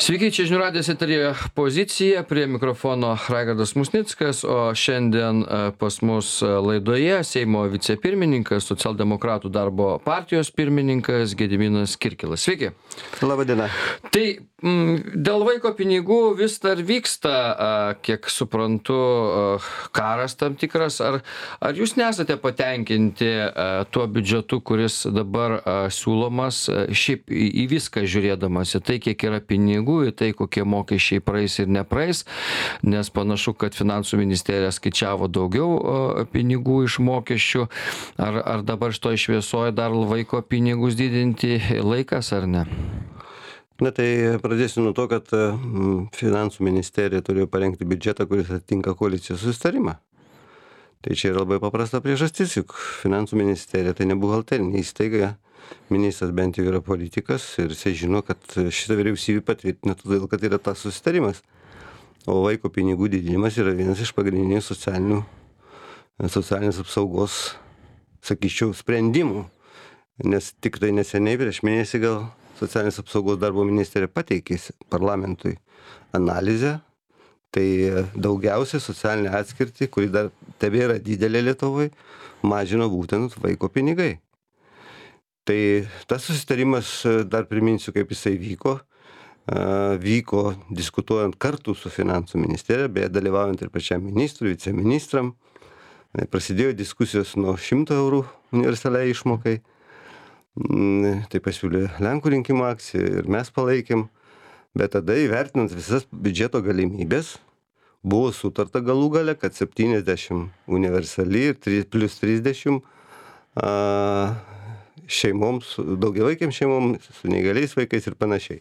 Sveiki, čia žinių radijas eteryje Pozicija, prie mikrofono Raigardas Musnickas, o šiandien pas mus laidoje Seimo vicepirmininkas, socialdemokratų darbo partijos pirmininkas Gediminas Kirkilas. Sveiki. Labadiena. Tai dėl vaiko pinigų vis dar vyksta, kiek suprantu, karas tam tikras. Ar jūs nesate patenkinti tuo biudžetu, kuris dabar siūlomas, šiaip į viską žiūrėdamas, į tai, kiek yra pinigų, į tai, kokie mokesčiai praeis ir nepraeis, nes panašu, kad finansų ministerija skaičiavo daugiau pinigų iš mokesčių. Ar dabar šitoj šviesoje dar vaiko pinigus didinti laikas ar ne? Na tai pradėsiu nuo to, kad finansų ministerija turėjo parengti biudžetą, kuris atitinka koalicijos susitarimą. Tai čia yra labai paprasta priežastis, juk finansų ministerija tai ne buhalterinė įstaiga. Ministras bent jau yra politikas ir jisai žino, kad šitą vyriausybę patvirtina todėl, kad yra tas susitarimas. O vaiko pinigų didinimas yra vienas iš pagrindinių socialinės apsaugos, sakyčiau, sprendimų. Nes tik tai neseniai, prieš mėnesį gal, socialinės apsaugos darbo ministerija pateikė parlamentui analizę. Tai daugiausiai socialinė atskirtį, kuri dar tebėra didelė Lietuvai, mažino būtent vaiko pinigai. Tai tas susitarimas, dar priminsiu, kaip jisai vyko diskutuojant kartu su finansų ministerija, beje, dalyvaujant ir pačiam ministrui, viceministram. Prasidėjo diskusijos nuo 100 eurų universaliai išmokai. Tai pasiūlė Lenkų rinkimų akcija ir mes palaikėm. Bet tada įvertinant visas biudžeto galimybės, buvo sutarta galų gale, kad 70 universali ir plus 30 šeimoms, daugiavaikėms šeimoms, su neįgaliais vaikais ir panašiai.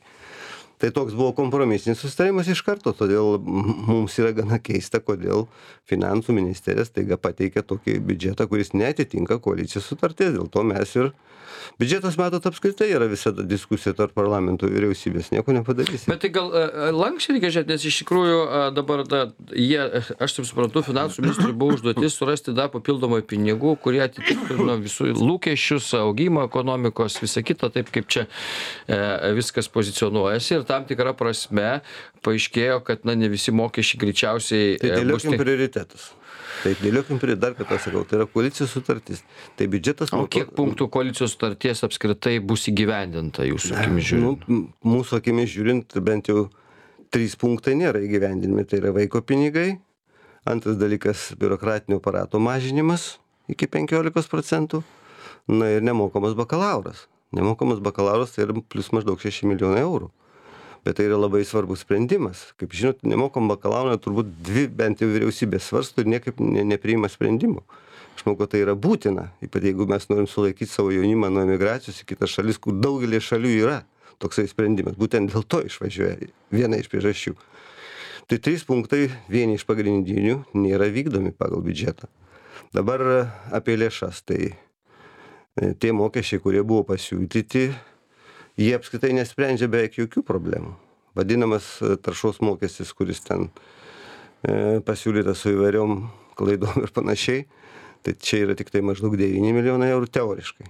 Tai toks buvo kompromisinis susitarimas iš karto, todėl mums yra gana keista, kodėl finansų ministerija staiga pateikė tokį biudžetą, kuris neatitinka koalicijos sutarties. Dėl to mes ir biudžetas, matot, apskritai yra visada diskusija tarp parlamento ir vyriausybės, nieko nepadarysime. Bet tai gal lankščiai reikia žiūrėti, nes iš tikrųjų dabar aš taip suprantu, finansų ministrui buvo užduotis surasti dar papildomai pinigų, kurie atitiktų visų lūkesčius, augimą ekonomikos, visą kitą, taip kaip čia viskas pozicionuojasi. Ir tam tikrą prasme paaiškėjo, kad ne visi mokesčiai greičiausiai tai dėliokim prioritetus. Tai dėliokim dar kartą sakau, tai yra koalicijos sutartis. Tai biudžetas... O kiek punktų koalicijos sutarties apskritai bus įgyvendinta jūsų akimis žiūrint? Mūsų akimis žiūrint, bent jau 3 punktai nėra įgyvendinami. Tai yra vaiko pinigai. Antras dalykas - biurokratinio aparato mažinimas iki 15%. Na ir nemokamas bakalauras. Nemokamas bakalauras tai yra plus maždaug 6 milijonai eurų. Bet tai yra labai svarbus sprendimas. Kaip žinot, nemokam bakalauro turbūt 2 bent jau vyriausybės svarsto ir niekaip nepriima sprendimų. Aš manau, kad tai yra būtina, ypač jeigu mes norim sulaikyti savo jaunimą nuo emigracijos į kitas šalis, kur daugelį šalių yra toksai sprendimas. Būtent dėl to išvažiuoja, viena iš priežasčių. Tai 3 punktai, vieni iš pagrindinių, nėra vykdomi pagal biudžetą. Dabar apie lėšas. Tai tie mokesčiai, kurie buvo pasiūlyti, jie apskritai nesprendžia beveik jokių problemų. Vadinamas taršos mokestis, kuris ten pasiūlytas su įvairiom klaidom ir panašiai, tai čia yra tik tai maždaug 9 milijonai eurų teoriškai.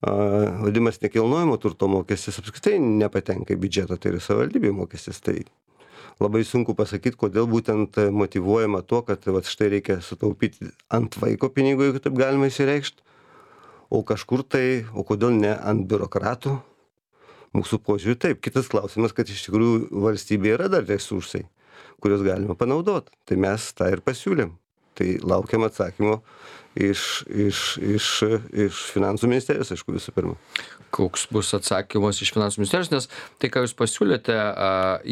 Vadinamas nekilnojamo turto mokestis apskritai nepatenka į biudžetą, tai yra savivaldybių mokestis. Tai labai sunku pasakyti, kodėl būtent motyvuojama tuo, kad štai reikia sutaupyti ant vaiko pinigų, jeigu taip galima įsireikšti. O kažkur tai, o kodėl ne ant biurokratų? Mūsų požiūrį taip. Kitas klausimas, kad iš tikrųjų valstybėje yra dar resursai, kuriuos galima panaudoti. Tai mes tą ir pasiūlėm. Tai laukiam atsakymo iš finansų ministerijos, aišku, visų pirma. Koks bus atsakymas iš finansų ministerijos, nes tai, ką jūs pasiūlėte,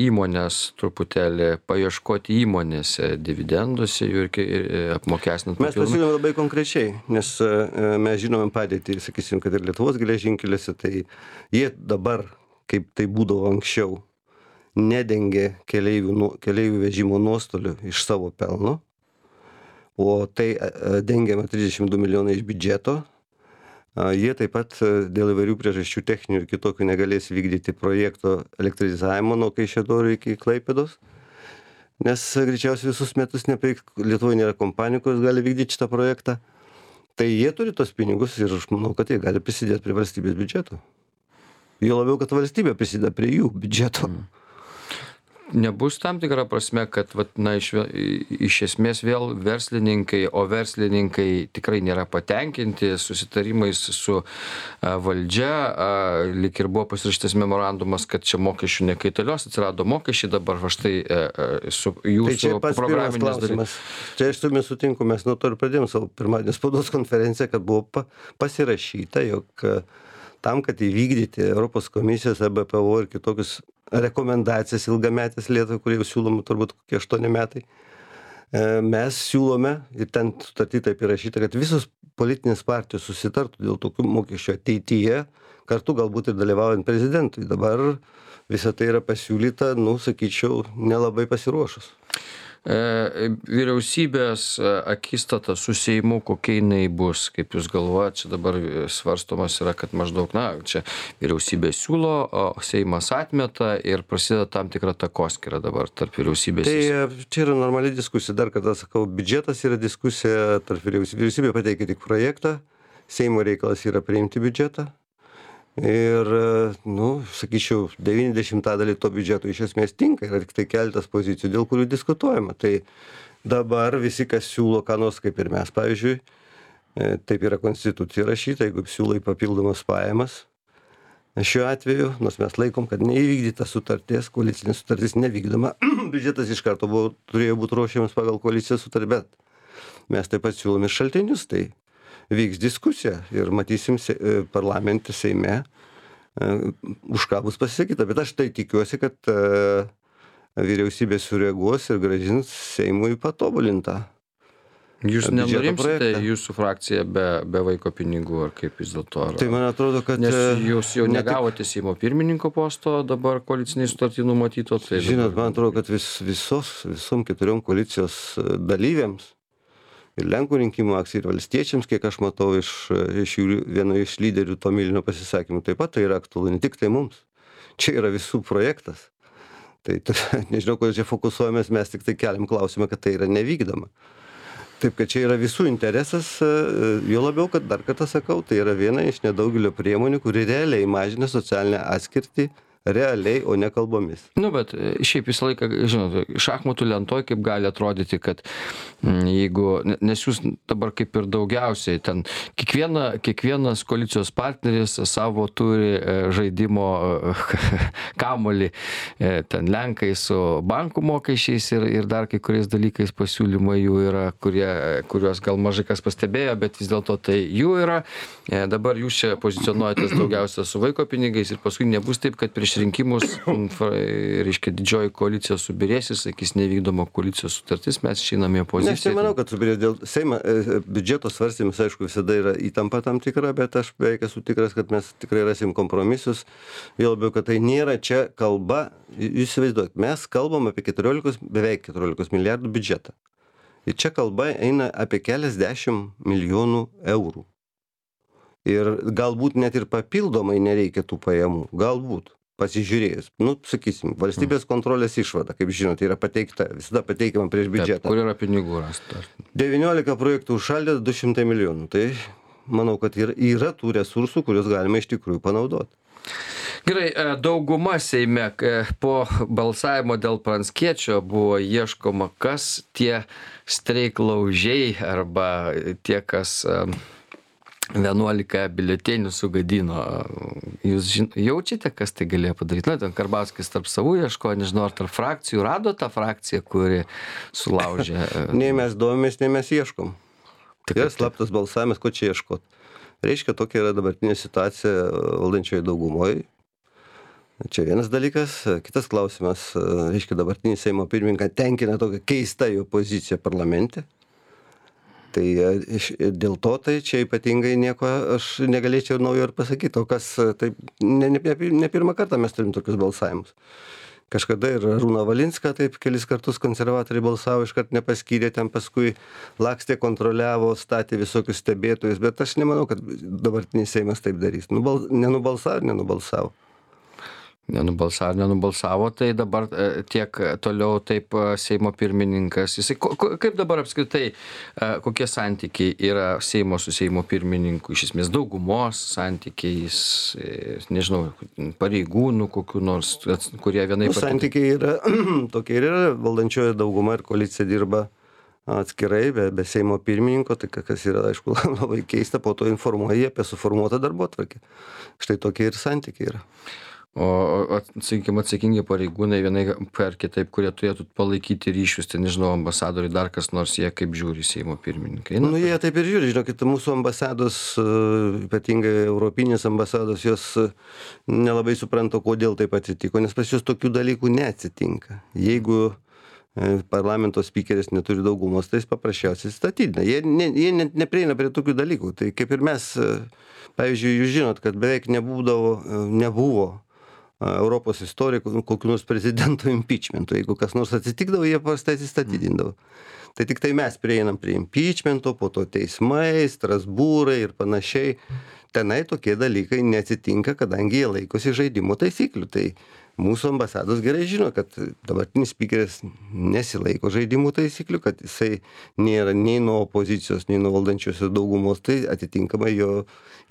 įmonės truputėlį paieškoti įmonėse, dividenduose ir apmokestinant. Mes pasiūlėm labai konkrečiai, nes mes žinome padėtį, sakysim, kad ir Lietuvos geležinkeliuose, tai jie dabar, kaip tai būdavo anksčiau, nedengia keleivių vežimo nuostolių iš savo pelno, o tai dengiama 32 milijonai iš biudžeto. Jie taip pat dėl įvairių priežasčių techninių ir kitokių negalės vykdyti projekto elektrizavimo nuo Kaišiadorių iki Klaipėdos, nes greičiausiai visus metus Lietuvoje nėra kompanijų, kurios gali vykdyti šitą projektą. Tai jie turi tos pinigus ir aš manau, kad jie gali prisidėti prie valstybės biudžeto. Jo labiau, kad valstybė prisideda prie jų biudžeto. Nebus tam tikra prasme, kad iš esmės vėl verslininkai, o verslininkai tikrai nėra patenkinti susitarimais su valdžia, lyg ir buvo pasirašytas memorandumas, kad čia mokesčių nekaitalios, atsirado mokesčiai, dabar štai su jūsų programinės dalis. Čia aš su jumis sutinku, mes nuo to ir pradėjom savo pirmadienį spaudos konferenciją, kad buvo pasirašyta, jog tam, kad įvykdyti Europos komisijos, EBPO ir kitokius rekomendacijas ilgametės Lietuvai, kurie jau siūloma turbūt kokie 8 metai, mes siūlome, ir ten sutarty taip įrašyta, kad visos politinės partijos susitartų dėl tokių mokesčių ateityje, kartu galbūt ir dalyvaujant prezidentui. Dabar visa tai yra pasiūlyta, sakyčiau, nelabai pasiruošus. Vyriausybės akistata su Seimu, kokia jinai bus, kaip jūs galvojate, čia dabar svarstomas yra, kad maždaug, čia vyriausybė siūlo, o Seimas atmeta ir prasideda tam tikra takoskyra dabar tarp vyriausybės. Tai čia yra normali diskusija, dar kartą sakau, biudžetas yra diskusija tarp vyriausybė. Vyriausybė pateikia tik projektą, Seimo reikalas yra priimti biudžetą. Ir, sakyčiau, 90% to biudžeto iš esmės tinka, yra tik tai keletas pozicijų, dėl kurių diskutuojama. Tai dabar visi, kas siūlo ką nors, kaip ir mes, pavyzdžiui, taip yra konstitucija rašyta, jeigu siūlai papildomas pajamas, šiuo atveju, nors mes laikom, kad neįvykdyta sutarties, koalicinė sutartis nevykdoma, biudžetas iš karto turėjo būti ruošiamas pagal koalicijos sutartį, bet mes taip pat siūlome šaltinius, tai vyks diskusija ir matysim parlamente, Seime, už ką bus pasisakyta. Bet aš tai tikiuosi, kad vyriausybė sureaguos ir grąžins Seimui patobulintą. Jūs nenurimsite jūsų frakcija be vaiko pinigų, ar kaip vis dėlto? Tai man atrodo, kad... Nes jūs jau negavote Seimo pirmininko posto, dabar koaliciniai sutartį numatyto. Tai žinot, man atrodo, kad visom 4 koalicijos dalyviams, ir Lenkų rinkimų akcijai, ir valstiečiams, kiek aš matau iš vieno iš lyderių Tomilino pasisakymų, taip pat tai yra aktualu, ne tik tai mums. Čia yra visų projektas. Tai nežinau, kodėl čia fokusuojamės, mes tik tai keliam klausimą, kad tai yra nevykdoma. Taip, kad čia yra visų interesas, jo labiau, kad dar kartą sakau, tai yra viena iš nedaugelio priemonių, kuri realiai mažina socialinę atskirtį, realiai, o ne kalbomis. Bet šiaip visą laiką, žinot, šachmatų lentoj kaip gali atrodyti, kad jeigu, nes jūs dabar kaip ir daugiausiai, ten kiekvienas koalicijos partneris savo turi žaidimo kamuolį, ten Lenkai su bankų mokesčiais ir dar kai kuriais dalykais pasiūlymai jų yra, kuriuos gal mažai kas pastebėjo, bet vis dėlto tai jų yra. Dabar jūs čia pozicionuojatės daugiausia su vaiko pinigais ir paskui nebus taip, kad prieš rinkimus, reiškia, didžioji koalicija subirės, sakys, nevykdoma koalicijos sutartis, mes išeiname į opoziciją. Aš nemanau, kad subirės dėl Seimo biudžeto svarstymus, aišku, visada yra įtampa tam tikra, bet aš beveik esu tikras, kad mes tikrai rasim kompromisus. Vėl labiau, kad tai nėra čia kalba, jūs įsivaizduojat, mes kalbam apie beveik 14 milijardų biudžetą. Ir čia kalba eina apie keliasdešimt milijonų eurų. Ir galbūt net ir papildomai nereikia tų pajamų, galbūt. Pasižiūrėjus, sakysim, valstybės kontrolės išvada, kaip žinote, yra pateikta, visada pateikiama prieš biudžetą. Kur yra pinigų rasta? 19 projektų užšaldė 200 milijonų. Tai manau, kad yra tų resursų, kuriuos galima iš tikrųjų panaudoti. Gerai, dauguma Seime po balsavimo dėl Pranckiečio buvo ieškoma, kas tie streiklaužiai arba tie, kas 11 biuletenių sugadino. Jūs jaučiate, kas tai galėjo padaryti? Ten Karbauskis tarp savų ieško, nežinau, ar tarp frakcijų rado tą frakciją, kuri sulaužė. Nei mes domės, nei mes ieškom. Tai yra slaptas balsavimas, ko čia ieškot. Reiškia, tokia yra dabartinė situacija valdančioje daugumoje. Čia vienas dalykas. Kitas klausimas, reiškia, dabartinį Seimo pirmininką tenkina tokia keista jo pozicija parlamente. Tai dėl to tai čia ypatingai nieko aš negalėčiau naujo ir pasakyti, o kas, taip, ne pirmą kartą mes turim tokius balsavimus. Kažkada ir Arūną Valinską taip kelis kartus konservatoriai balsavo, iškart nepaskyrė, ten paskui lakstė, kontroliavo, statė visokius stebėtojus, bet aš nemanau, kad dabartinis Seimas taip darys. Nenubalsavo. Nenubalsavo, tai dabar tiek toliau taip Seimo pirmininkas. Jisai, kaip dabar apskritai, kokie santykiai yra Seimo su Seimo pirmininku, iš esmės daugumos santykiais, nežinau, pareigūnų kokių nors, kurie vienaip ar kitaip. Santykiai yra tokie ir yra, valdančioji dauguma ir koalicija dirba atskirai, be Seimo pirmininko, tai kas yra, aišku, labai keista, po to informuoja apie suformuotą darbotvarkę. Štai tokie ir santykiai yra. O sakykime, atsakingi pareigūnai vienai per kitaip, kurie turėtų palaikyti ryšius, tai nežinau, ambasadoriai, dar kas nors, jie kaip žiūri Seimo pirmininkai. Nu, jie taip ir žiūri, žinokit, mūsų ambasados, ypatingai europinės ambasados, jos nelabai supranta, kodėl taip atsitiko, nes pas juos tokių dalykų neatsitinka. Jeigu parlamento spikeris neturi daugumos, tai jis paprasčiausiai statydina. Jie neprieina prie tokių dalykų. Tai kaip ir mes, pavyzdžiui, jūs žinot, kad beveik nebuvo Europos istorikų kokių nors prezidentų impeachmentų. Jeigu kas nors atsitikdavo, jie paprastai atsistatydindavo. Tai tik tai mes prieinam prie impeachmento, po to teismai, Strasbūrai ir panašiai. Tenai tokie dalykai neatsitinka, kadangi jie laikosi žaidimo taisyklių. Tai mūsų ambasados gerai žino, kad dabartinis spikeris nesilaiko žaidimų taisyklių, kad jisai nėra nei nuo opozicijos, nei nuo valdančiosios daugumos, tai atitinkamai jo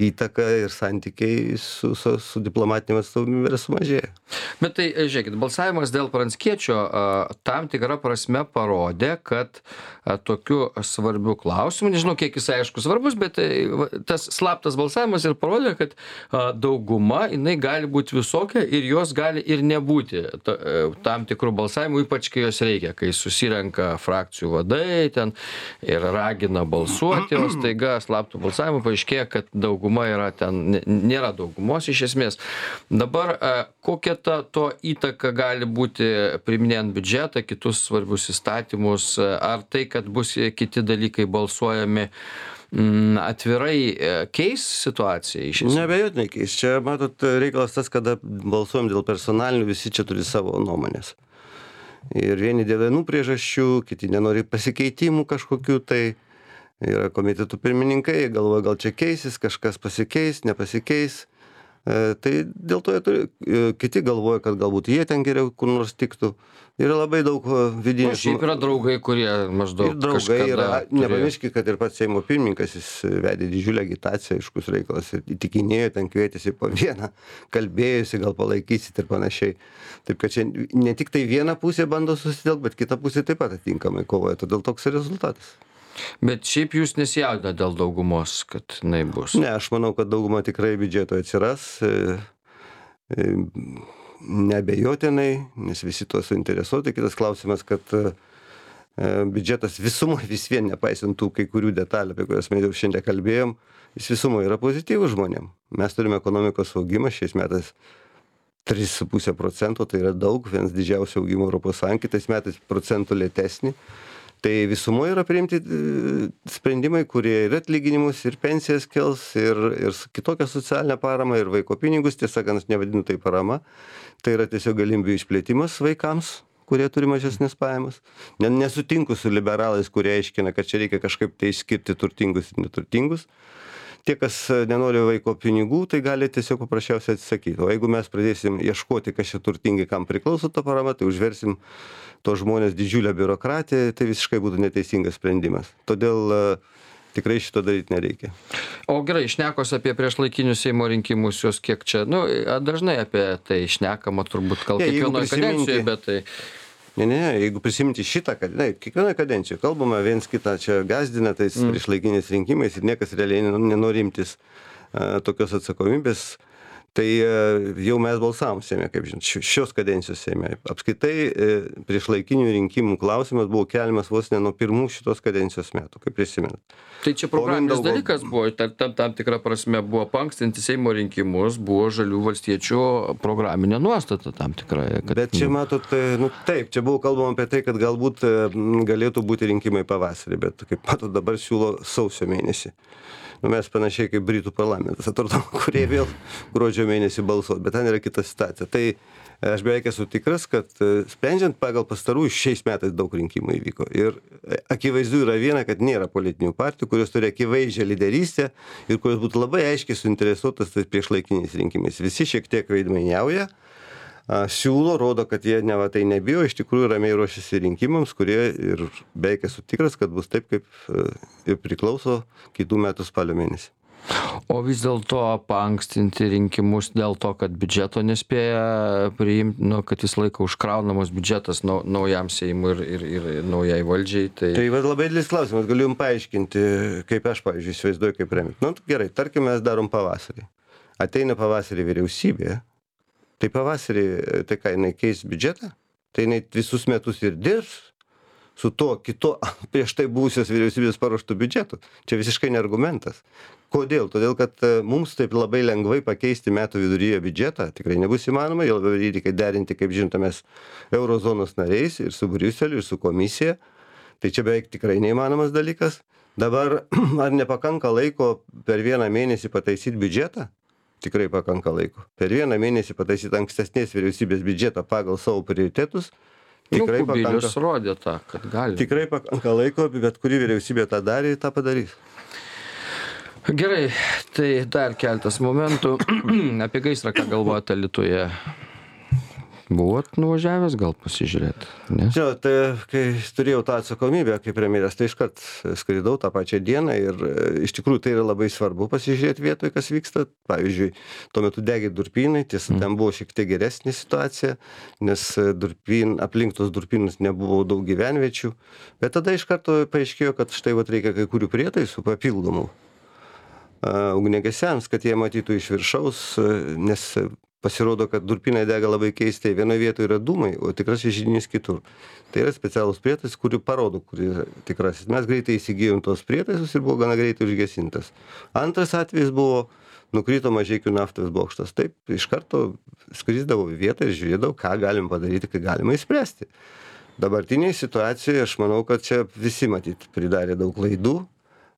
įtaka ir santykiai su diplomatinėm atstovybėm yra sumažėję. Bet tai, žiūrėkit, balsavimas dėl Pranckiečio tam tikrą prasme parodė, kad tokiu svarbiu klausimu, nežinau, kiek jis aišku svarbus, bet tas slaptas balsavimas ir parodė, kad dauguma, jinai gali būti visokia ir jos gali ir nebūti tam tikrų balsavimų, ypač kai jos reikia, kai susirenka frakcijų vadai ten ir ragina balsuoti, o staiga slaptų balsavimų paaiškėja, kad dauguma yra ten, nėra daugumos iš esmės. Dabar kokia to įtaka gali būti priiminėjant biudžetą, kitus svarbius įstatymus, ar tai, kad bus kiti dalykai balsuojami atvirai keis situaciją iš esmės? Neabejotinai keis. Čia, matot, reikalas tas, kada balsuojam dėl personalinių, visi čia turi savo nuomonės. Ir vieni dėl vienų priežasčių, kiti nenori pasikeitimų kažkokių, tai yra komitetų pirmininkai, galvoja, gal čia keisis, kažkas pasikeis, nepasikeis. Tai dėl to kiti galvoja, kad galbūt jie ten geriau kur nors tiktų. Yra labai daug vidinių. Šiaip yra draugai, kurie maždaug ir draugai yra. Nepamirškit, kad ir pats Seimo pirmininkas, jis vedė didžiulę agitaciją, aiškus reikalas, ir įtikinėjo, ten kvietėsi po vieną, kalbėjusi, gal palaikysit ir panašiai. Taip kad čia ne tik tai viena pusė bando susitelkti, bet kita pusė taip pat atitinkamai kovoja, todėl toks ir rezultatas. Bet šiaip jūs nesijaudinate dėl daugumos, kad jinai bus? Ne, aš manau, kad dauguma tikrai biudžeto atsiras, neabejotinai, nes visi tuo suinteresuoti. Kitas klausimas, kad biudžetas visumai vis vien, nepaisant tų kai kurių detalių, apie kurias mes jau šiandien kalbėjom, jis visumai yra pozityvus žmonėm. Mes turime ekonomikos augimą šiais metais 3,5%, tai yra daug, vienas didžiausių augimų Europos Sąjungoje, kitais metais procentų lėtesnį. Tai visumoje yra priimti sprendimai, kurie ir atlyginimus, ir pensijas kels, ir kitokią socialinę paramą, ir vaiko pinigus, tiesą sakant, nevadinu tai parama. Tai yra tiesiog galimybių išplėtimas vaikams, kurie turi mažesnės pajamas. Nesutinku su liberalais, kurie aiškina, kad čia reikia kažkaip tai išskirti turtingus ir neturtingus. Tie, kas nenori vaiko pinigų, tai gali tiesiog paprasčiausiai atsisakyti. O jeigu mes pradėsim ieškoti, kas čia turtingai, kam priklauso ta parama, tai užversim to žmonės didžiulę biurokratiją, tai visiškai būtų neteisingas sprendimas. Todėl tikrai šito daryti nereikia. O gerai, šnekos apie priešlaikinius Seimo rinkimus, jos kiek čia, dažnai apie tai šnekama turbūt gal kiekvienoje kadencijoje, bet tai... Ne, jeigu prisiminti šitą, kad kiekvienoje kadencijoje kalbama viens kitą čia gazdina tais priešlaikiniais rinkimais ir niekas realiai nenori imtis tokios atsakomybės, tai jau mes balsavom Seime, kaip žinot, šios kadencijos Seime. Apskritai priešlaikinių rinkimų klausimas buvo keliamas vos ne nuo pirmų šitos kadencijos metų, kaip prisimenat. Tai čia programinis dalykas buvo, tam tikra prasme buvo paankstinti Seimo rinkimus, buvo Žalių valstiečių programinė nuostata tam tikra. Bet čia matot, taip, čia buvo kalbama apie tai, kad galbūt galėtų būti rinkimai pavasarį, bet kaip matot dabar siūlo sausio mėnesį. Mes panašiai kaip Britų parlamentas, atrodo, kurie vėl gruodžio mėnesį balsuos, bet ten yra kita situacija. Tai aš beveik esu tikras, kad sprendžiant pagal pastarųjų šiais metais daug rinkimų įvyko. Ir akivaizdu yra viena, kad nėra politinių partijų, kurios turi akivaizdžią lyderystę ir kurios būtų labai aiškiai suinteresuotas tais priešlaikiniais rinkimais. Visi šiek tiek veidmainiauja, siūlo, rodo, kad jie neva tai nebijo, iš tikrųjų ramiai ruošiasi rinkimams, kurie ir beveik esu tikras, kad bus taip, kaip ir priklauso kitų metų spalio mėnesį. O vis dėlto paankstinti rinkimus dėl to, kad biudžeto nespėja priimti, kad visą laiką užkraunamas biudžetas naujam Seimui ir naujai valdžiai. Tai labai didelis klausimas, galiu jums paaiškinti, kaip aš, pavyzdžiui, įsivaizduoju, kaip remti. Gerai, tarkim, mes darom pavasarį. Ateina pavasarį vyriausybė, tai pavasarį, tai ką, jinai keis biudžetą, tai jinai visus metus ir dirbs su to kito prieš tai buvusios vyriausybės paruoštų biudžetų. Čia visiškai ne argumentas. Kodėl? Todėl, kad mums taip labai lengvai pakeisti metų viduryje biudžetą tikrai nebus įmanoma, jau labai reikia derinti, kaip žinote, mes eurozonos nariais ir su Briuseliu, ir su komisija. Tai čia beveik tikrai neįmanomas dalykas. Dabar ar nepakanka laiko per vieną mėnesį pataisyti biudžetą? Tikrai pakanka laiko. Per vieną mėnesį pataisyti ankstesnės vyriausybės biudžetą pagal savo prioritetus. Tikrai Kubilius rodė tą, kad gali. Tikrai pakanka laiko, bet kuri vyriausybė tą darė, tą padarys. Gerai, tai dar keltas momentų. Apie gaisrą, ką galvojate Alytuje? Buvot nuvažiavęs gal pasižiūrėti? Žinau, tai kai turėjau tą atsakomybę kaip premjeras, tai iškart skridau tą pačią dieną ir iš tikrųjų tai yra labai svarbu pasižiūrėti vietoje, kas vyksta. Pavyzdžiui, tuo metu degė durpynai, tiesa, ten buvo šiek tiek geresnė situacija, nes aplink tos durpynus nebuvo daug gyvenviečių, bet tada iš karto paaiškėjo, kad štai reikia kai kurių prietaisų papildomų ugniagesiams, kad jie matytų iš viršaus, nes pasirodo, kad durpynai dega labai keistai. Vienoje vietoje yra dūmai, o tikrasis židinys kitur. Tai yra specialus prietaisas, kurį parodo, kur yra tikrasis. Mes greitai įsigijom tos prietaisus ir buvo gana greitai užgesintas. Antras atvejis buvo, nukrito Mažeikių naftos bokštas. Taip, iš karto skrisdavau į vietą ir žiūrėdavau, ką galim padaryti, ką galima įspręsti. Dabartinėje situacijoje aš manau, kad čia visi matyt pridarė daug klaidų,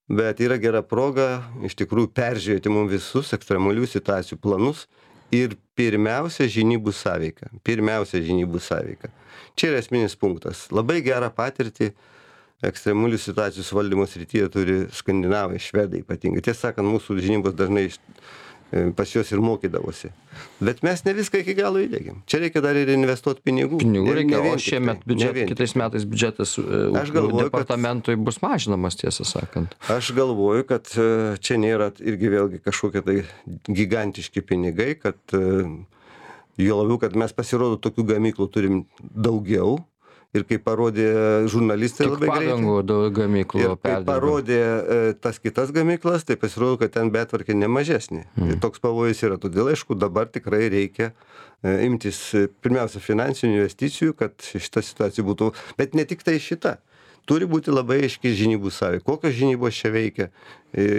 bet yra gera proga iš tikrųjų peržiūrėti mums visus ekstremalių situacijų planus. Ir pirmiausia žinybų sąveika. Čia yra esminis punktas. Labai gerą patirtį ekstremalių situacijų valdymo srityje turi skandinavai, švedai ypatingai. Tiesą sakant, mūsų žinybos dažnai pas juos ir mokydavosi. Bet mes ne viską iki galo įdėgėm. Čia reikia dar ir investuoti pinigų. Pinigų reikia, o šiemet kitais metais biudžetas departamentui bus mažinamas, tiesą sakant. Aš galvoju, kad čia nėra irgi vėlgi kažkokie tai gigantiški pinigai, kad jo labiau, kad mes pasirodo tokių gamyklų turim daugiau. Ir kaip parodė žurnalistai labai greitai. Tik padangų gamyklų ir kaip parodė tas kitas gamyklas, tai pasirodo, kad ten betvarkė nemažesnė. Ir toks pavojus yra. Todėl, aišku, dabar tikrai reikia imtis pirmiausia finansinių investicijų, kad šita situacija būtų. Bet ne tik tai šita. Turi būti labai aiški žinybų sąveika. Kokios žinybos čia veikia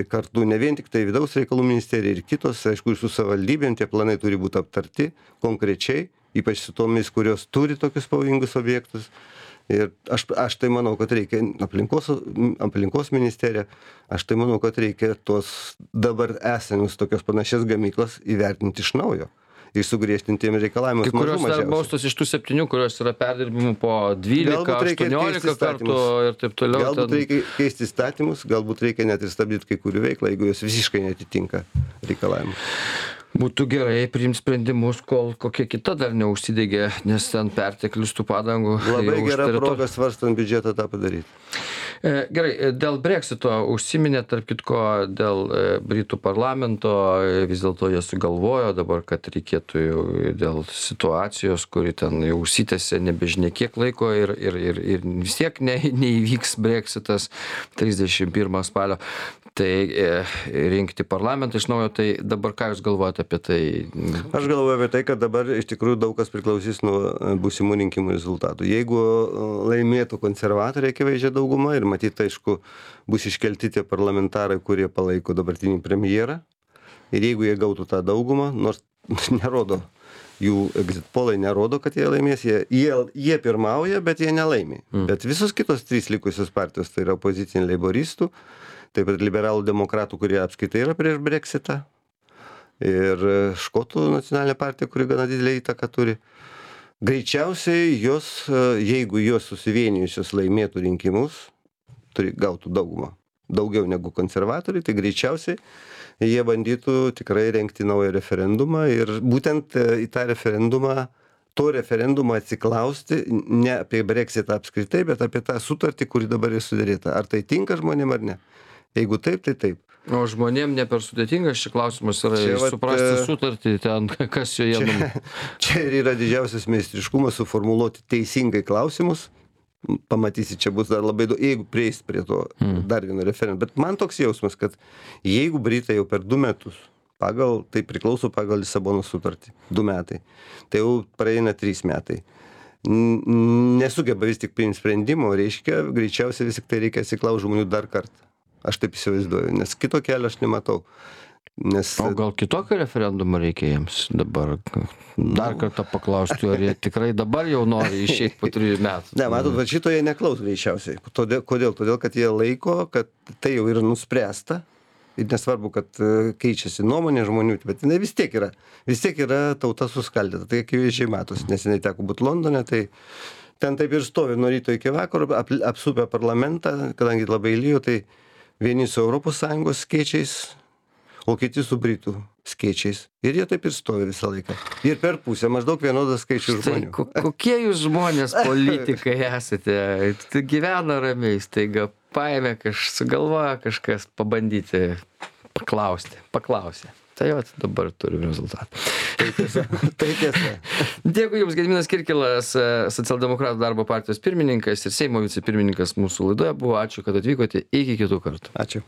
kartu, ne vien tik tai vidaus reikalų ministerija ir kitos, aišku, ir su savivaldybėm tie planai turi būti aptarti konkrečiai, ypač su tomis, kurios turi tokius pavojingus objektus. Ir aš tai manau, kad reikia aplinkos ministerija, aš tai manau, kad reikia tos dabar esamus tokios panašias gamyklas įvertinti iš naujo. Ir sugriežtintiem reikalavimus mažų mažiausiai. Kurios dar baustos iš tų 7, kurios yra perdirbimų po 12-18 kartų ir taip toliau. Galbūt reikia keisti įstatymus, galbūt reikia net ir stabdyti kai kurių veiklą, jeigu jos visiškai netitinka reikalavimų. Būtų gerai priimti sprendimus, kol kokia kita dar neužsidegė, nes ten perteklius tų padangų. Labai gera proga svarstant biudžetą tą padaryti. Gerai, dėl Brexito užsiminė, tarp kitko, dėl Britų parlamento, vis dėlto jie sugalvojo dabar, kad reikėtų dėl situacijos, kuri ten jau užsitęsė nebežinia kiek laiko ir vis tiek neįvyks Brexitas 31 spalio. Tai rinkti parlamentą iš naujo, tai dabar ką jūs galvojate apie tai? Aš galvoju apie tai, kad dabar iš tikrųjų daug kas priklausys nuo būsimų rinkimų rezultatų. Jeigu laimėtų konservatoriai akivaizdžią daugumą ir matyt, aišku, bus iškelti tie parlamentarai, kurie palaiko dabartinį premjerą, ir jeigu jie gautų tą daugumą, nors nerodo, jų exit polai nerodo, kad jie laimės, jie pirmauja, bet jie nelaimė. Bet visos kitos 3 likusios partijos, tai yra opoziciniai leiboristų, taip pat liberalų demokratų, kurie apskaitai yra prieš Brexitą, ir škotų nacionalinė partija, kuri gana didelį įtaką turi. Greičiausiai jos, jeigu jos susivienijusios laimėtų rinkimus, gautų daugumą, daugiau negu konservatoriai, tai greičiausiai jie bandytų tikrai rengti naują referendumą ir būtent į tą referendumą to referendumo atsiklausti ne apie Brexitą apskritai, bet apie tą sutartį, kuri dabar yra sudaryta. Ar tai tinka žmonėm ar ne? Jeigu taip, tai taip. O žmonėm ne per sudėtingas šis klausimas yra Čia vat, suprasti sutartį, ten kas joje Čia ir yra didžiausias meistriškumas suformuluoti teisingai klausimus. Pamatysi, čia bus dar labai daug, jeigu prieis prie to dar vieno referendumo. Bet man toks jausmas, kad jeigu Britai jau per 2 metus, tai priklauso pagal Lisabonos sutartį, 2 metai, tai jau praeina 3 metai. Nesugeba vis tik priimti sprendimo, reiškia, greičiausiai vis tik tai reikia atsiklausti žmonių dar kartą. Aš taip įsivaizduoju, nes kito kelio aš nematau. O gal kitokio referendumo reikia jiems dabar? Dar kartą paklausti, ar jie tikrai dabar jau nori išeiti po 3 metų? Ne, matot, va šito jie neklaus greičiausiai. Kodėl? Todėl, kad jie laiko, kad tai jau yra nuspręsta. Ir nesvarbu, kad keičiasi nuomonė žmonių, bet jinai vis tiek yra tauta suskaldyta. Tai akivaizdžiai matos, nes jinai teko būti Londone, tai ten taip ir stovi nuo ryto iki vakaro, apsupę parlamentą, kadangi labai lyjo, tai vieni su ES skėčiais, o kiti su Britų skėčiais. Ir jie taip ir stovi visą laiką. Ir per pusę maždaug vienodas skaičius žmonių. Kokie jūs žmonės politikai esate? Gyvena ramiai, staiga paėmė, sugalvoja kažkas pabandyti paklausė. Tai jau dabar turim rezultatą. Tai tiesa. Dėkui Jums, Gediminas Kirkilas, Socialdemokratų darbo partijos pirmininkas ir Seimo vicepirmininkas mūsų laidoje buvo. Ačiū, kad atvykote. Iki kitų kartų. Ačiū.